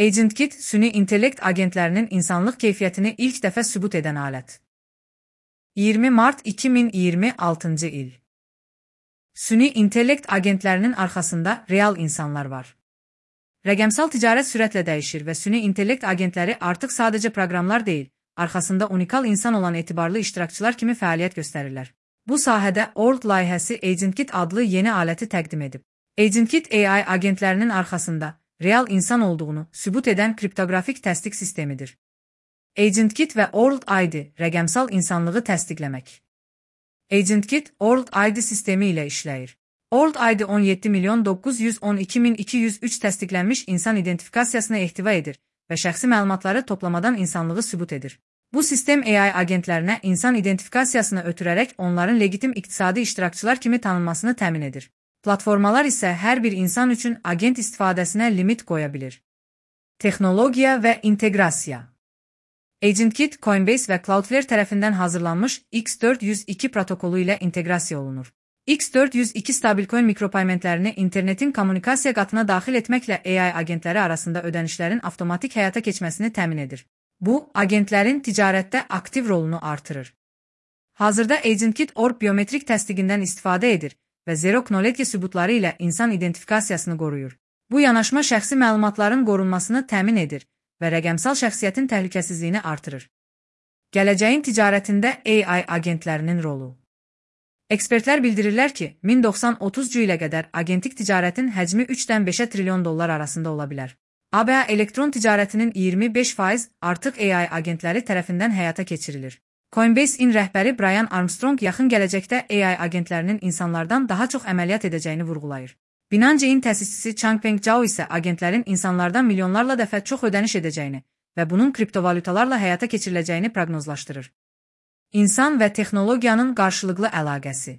AgentKit, süni intellekt agentlərinin insanlıq keyfiyyətini ilk dəfə sübut edən alət. 20 mart 2026-cı il. Süni intellekt agentlərinin arxasında real insanlar var. Rəqəmsal ticarət sürətlə dəyişir və süni intellekt agentləri artıq sadəcə proqramlar deyil, arxasında unikal insan olan etibarlı iştirakçılar kimi fəaliyyət göstərirlər. Bu sahədə Orld layihəsi AgentKit adlı yeni aləti təqdim edib. AgentKit AI agentlərinin arxasında real insan olduğunu sübut edən kriptoqrafik təsdiq sistemidir. AgentKit və Orld ID rəqəmsal insanlığı təsdiqləmək. AgentKit Orld ID sistemi ilə işləyir. Orld ID 17.912.203 təsdiqlənmiş insan identifikasiyasını ehtiva edir və şəxsi məlumatları toplamadan insanlığı sübut edir. Bu sistem AI agentlərinə insan identifikasiyasını ötürərək onların legitim iqtisadi iştirakçılar kimi tanınmasını təmin edir. Platformalar isə hər bir insan üçün agent istifadəsinə limit qoya bilir. Texnologiya və inteqrasiya. AgentKit, Coinbase və Cloudflare tərəfindən hazırlanmış X402 protokolu ilə inteqrasiya olunur. X402 stabilcoin mikropaymentlərini internetin kommunikasiya qatına daxil etməklə AI agentləri arasında ödənişlərin avtomatik həyata keçməsini təmin edir. Bu, agentlərin ticarətdə aktiv rolunu artırır. Hazırda AgentKit Orb biometrik təsdiqindən istifadə edir və zero-knowledge sübutları ilə insan identifikasiyasını qoruyur. Bu yanaşma şəxsi məlumatların qorunmasını təmin edir və rəqəmsal şəxsiyyətin təhlükəsizliyini artırır. Gələcəyin ticarətində AI agentlərinin rolu. Ekspertlər bildirirlər ki, 2030-cu ilə qədər agentik ticarətin həcmi 3-dən 5 trilyon dollar arasında ola bilər. ABA elektron ticarətinin 25% artıq AI agentləri tərəfindən həyata keçirilir. Coinbase-in rəhbəri Brian Armstrong yaxın gələcəkdə AI agentlərinin insanlardan daha çox əməliyyat edəcəyini vurğulayır. Binance-in təsisçisi Changpeng Zhao isə agentlərin insanlardan milyonlarla dəfə çox ödəniş edəcəyini və bunun kriptovalyutalarla həyata keçiriləcəyini proqnozlaşdırır. İnsan və texnologiyanın qarşılıqlı əlaqəsi.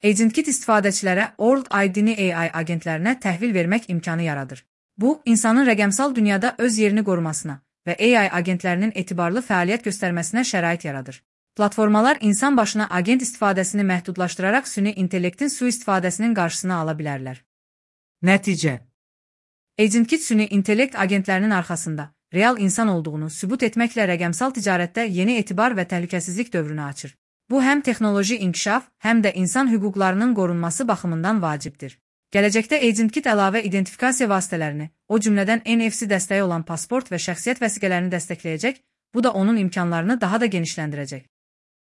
AgentKit istifadəçilərə Orld ID-ni AI agentlərinə təhvil vermək imkanı yaradır. Bu, insanın rəqəmsal dünyada öz yerini qorumasına və AI agentlərinin etibarlı fəaliyyət göstərməsinə şərait yaradır. Platformalar insan başına agent istifadəsini məhdudlaşdıraraq süni intellektin sui-istifadəsinin qarşısını ala bilərlər. Nəticə. AgentKit süni intellekt agentlərinin arxasında real insan olduğunu sübut etməklə rəqəmsal ticarətdə yeni etibar və təhlükəsizlik dövrünü açır. Bu, həm texnoloji inkişaf, həm də insan hüquqlarının qorunması baxımından vacibdir. Gələcəkdə AgentKit əlavə identifikasiya vasitələrini, o cümlədən NFC dəstəyi olan pasport və şəxsiyyət vəsiqələrini dəstəkləyəcək, bu da onun imkanlarını daha da genişləndirəcək.